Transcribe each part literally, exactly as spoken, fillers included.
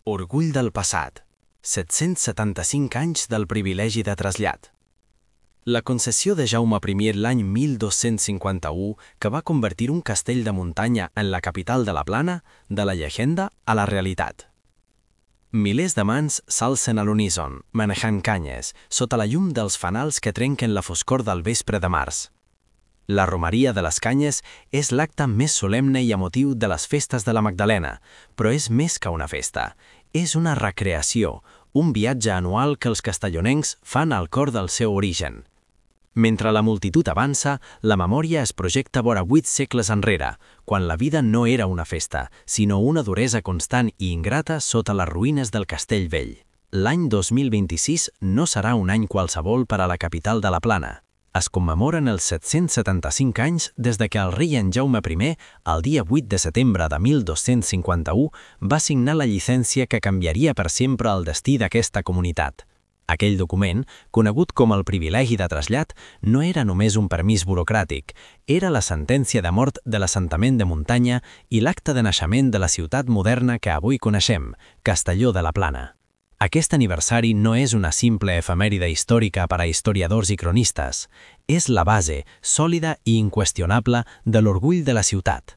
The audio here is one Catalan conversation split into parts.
Orgull del passat. set-cents setanta-cinc anys del privilegi de trasllat. La concessió de Jaume primer l'any mil dos-cents cinquanta-u, que va convertir un castell de muntanya en la capital de la Plana, de la llegenda a la realitat. Milers de mans s'alcen a l'uníson, manejant canyes, sota la llum dels fanals que trenquen la foscor del vespre de març. La romeria de les canyes és l'acte més solemne i emotiu de les festes de la Magdalena, però és més que una festa. És una recreació, un viatge anual que els castellonencs fan al cor del seu origen. Mentre la multitud avança, la memòria es projecta vora vuit segles enrere, quan la vida no era una festa, sinó una duresa constant i ingrata sota les ruïnes del Castell Vell. L'any dos mil vint-i-sis no serà un any qualsevol per a la capital de la Plana. Es commemoren els set-cents setanta-cinc anys des de que el rei en Jaume primer, el dia vuit de setembre de mil dos-cents cinquanta-u, va signar la llicència que canviaria per sempre el destí d'aquesta comunitat. Aquell document, conegut com el privilegi de trasllat, no era només un permís burocràtic, era la sentència de mort de l'assentament de muntanya i l'acte de naixement de la ciutat moderna que avui coneixem, Castelló de la Plana. Aquest aniversari no és una simple efemèride històrica per a historiadors i cronistes, és la base, sòlida i inqüestionable de l'orgull de la ciutat.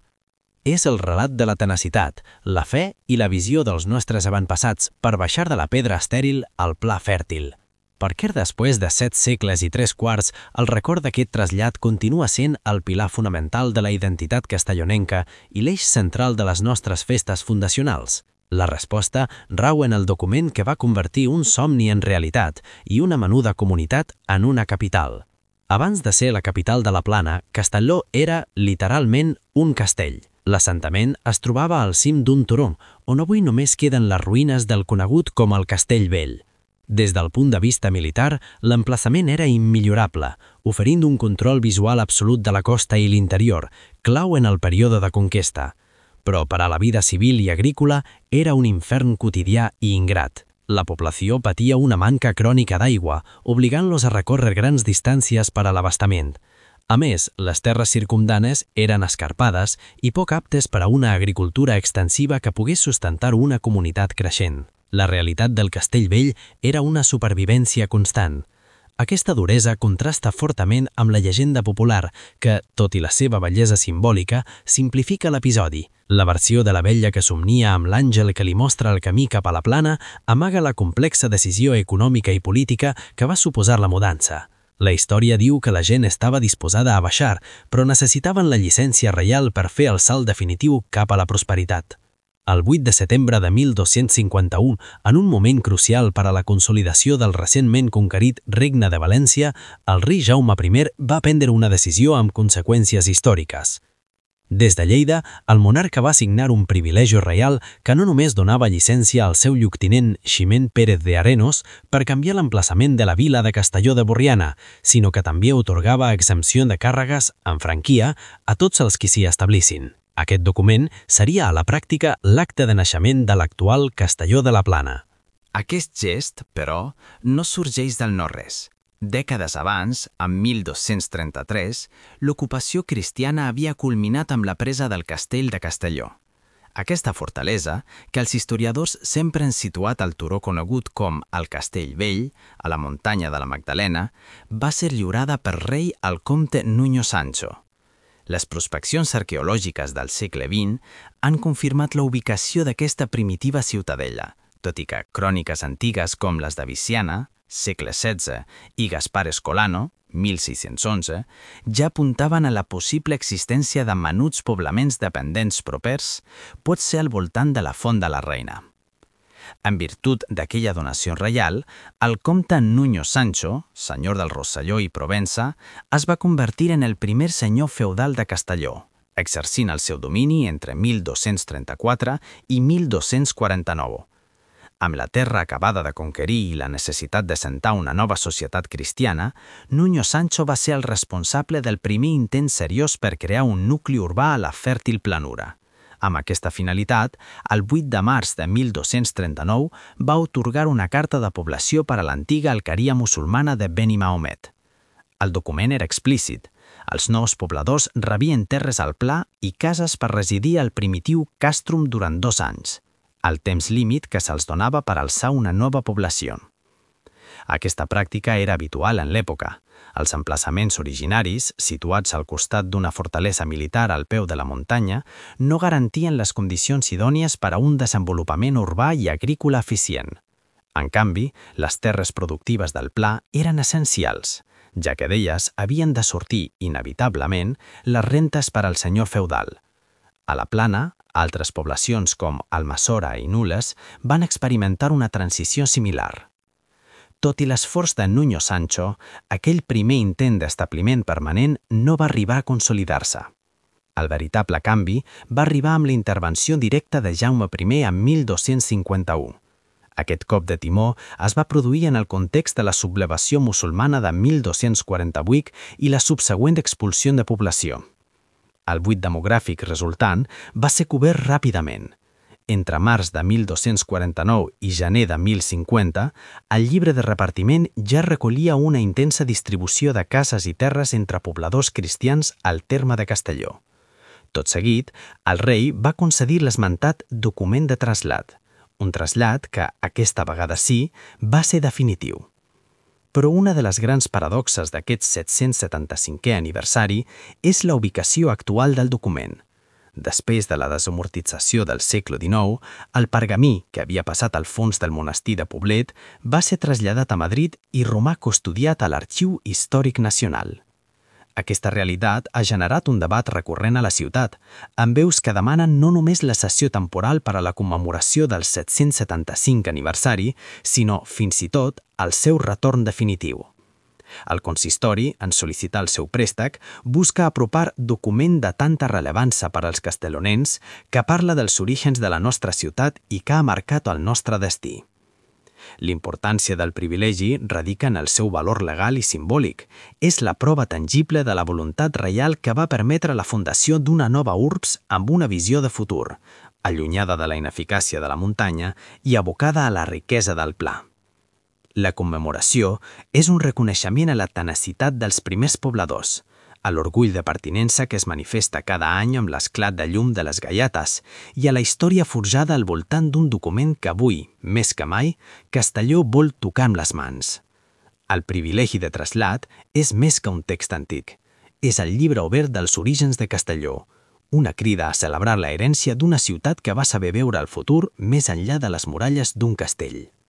És el relat de la tenacitat, la fe i la visió dels nostres avantpassats per baixar de la pedra estèril al pla fèrtil. Per què després de set segles i tres quarts el record d'aquest trasllat continua sent el pilar fonamental de la identitat castellonenca i l'eix central de les nostres festes fundacionals? La resposta rau en el document que va convertir un somni en realitat i una menuda comunitat en una capital. Abans de ser la capital de la Plana, Castelló era, literalment, un castell. L'assentament es trobava al cim d'un turó, on avui només queden les ruïnes del conegut com el Castell Vell. Des del punt de vista militar, l'emplaçament era immillorable, oferint un control visual absolut de la costa i l'interior, clau en el període de conquesta. Però per a la vida civil i agrícola era un infern quotidià i ingrat. La població patia una manca crònica d'aigua, obligant-los a recórrer grans distàncies per a l'abastament. A més, les terres circumdanes eren escarpades i poc aptes per a una agricultura extensiva que pogués sustentar una comunitat creixent. La realitat del Castell Vell era una supervivència constant. Aquesta duresa contrasta fortament amb la llegenda popular que, tot i la seva bellesa simbòlica, simplifica l'episodi. La versió de la vella que somnia amb l'àngel que li mostra el camí cap a la Plana amaga la complexa decisió econòmica i política que va suposar la mudança. La història diu que la gent estava disposada a baixar, però necessitaven la llicència reial per fer el salt definitiu cap a la prosperitat. El vuit de setembre de mil dos-cents cinquanta-u, en un moment crucial per a la consolidació del recentment conquerit Regne de València, el rei Jaume primer va prendre una decisió amb conseqüències històriques. Des de Lleida, el monarca va signar un privilegi reial que no només donava llicència al seu lloctinent Ximent Pérez de Arenos per canviar l'emplaçament de la vila de Castelló de Borriana, sinó que també atorgava exempció de càrregues, en franquia, a tots els qui s'hi establissin. Aquest document seria a la pràctica l'acte de naixement de l'actual Castelló de la Plana. Aquest gest, però, no sorgeix del no-res. Dècades abans, en mil dos-cents trenta-tres, l'ocupació cristiana havia culminat amb la presa del castell de Castelló. Aquesta fortalesa, que els historiadors sempre han situat al turó conegut com el Castell Vell, a la muntanya de la Magdalena, va ser lliurada per rei al comte Nuño Sancho. Les prospeccions arqueològiques del segle vint han confirmat la ubicació d'aquesta primitiva ciutadella, tot i que cròniques antigues com les de Viciana, segle setze, i Gaspar Escolano, mil sis-cents onze, ja apuntaven a la possible existència de menuts poblaments dependents propers, pot ser al voltant de la Font de la Reina. En virtut d'aquella donació reial, el comte Nuño Sancho, senyor del Rosselló i Provença, es va convertir en el primer senyor feudal de Castelló, exercint el seu domini entre mil dos-cents trenta-quatre i mil dos-cents quaranta-nou. Amb la terra acabada de conquerir i la necessitat de sentar una nova societat cristiana, Nuño Sancho va ser el responsable del primer intent seriós per crear un nucli urbà a la fèrtil planura. Amb aquesta finalitat, el vuit de març de mil dos-cents trenta-nou va atorgar una carta de població per a l'antiga alqueria musulmana de Beni Mahomet. El document era explícit. Els nous pobladors rebien terres al pla i cases per residir al primitiu càstrum durant dos anys. el temps límit que se'ls donava per alçar una nova població. Aquesta pràctica era habitual en l'època. Els emplaçaments originaris, situats al costat d'una fortalesa militar al peu de la muntanya, no garantien les condicions idònies per a un desenvolupament urbà i agrícola eficient. En canvi, les terres productives del pla eren essencials, ja que d'elles havien de sortir, inevitablement, les rentes per al senyor feudal. A la plana, altres poblacions com Almassora i Nules van experimentar una transició similar. Tot i l'esforç de Nuño Sancho, aquell primer intent d'establiment permanent no va arribar a consolidar-se. El veritable canvi va arribar amb la intervenció directa de Jaume primer en mil dos-cents cinquanta-u. Aquest cop de timó es va produir en el context de la sublevació musulmana de mil dos-cents quaranta-vuit i la subsegüent expulsió de població. El buit demogràfic resultant va ser cobert ràpidament. Entre març de mil dos-cents quaranta-nou i gener de mil cinquanta, el llibre de repartiment ja recollia una intensa distribució de cases i terres entre pobladors cristians al terme de Castelló. Tot seguit, el rei va concedir l'esmentat document de trasllat, un trasllat que, aquesta vegada sí, va ser definitiu. Però una de les grans paradoxes d'aquest set-cents setanta-cinquè aniversari és la ubicació actual del document. Després de la desamortització del segle dinou, el pergamí, que havia passat al fons del monestir de Poblet, va ser traslladat a Madrid i romà custodiat a l'Arxiu Històric Nacional. Aquesta realitat ha generat un debat recurrent a la ciutat, amb veus que demanen no només la cessió temporal per a la commemoració del set-cents setanta-cinc aniversari, sinó, fins i tot, el seu retorn definitiu. El consistori, en sol·licitar el seu préstec, busca apropar document de tanta rellevància per als castellonencs que parla dels orígens de la nostra ciutat i que ha marcat el nostre destí. L'importància del privilegi radica en el seu valor legal i simbòlic. És la prova tangible de la voluntat reial que va permetre la fundació d'una nova urbs amb una visió de futur, allunyada de la ineficàcia de la muntanya i abocada a la riquesa del pla. La commemoració és un reconeixement a la tenacitat dels primers pobladors, a l'orgull de pertinença que es manifesta cada any amb l'esclat de llum de les gaiates i a la història forjada al voltant d'un document que avui, més que mai, Castelló vol tocar amb les mans. El privilegi de trasllat és més que un text antic. És el llibre obert dels orígens de Castelló, una crida a celebrar la herència d'una ciutat que va saber veure el futur més enllà de les muralles d'un castell.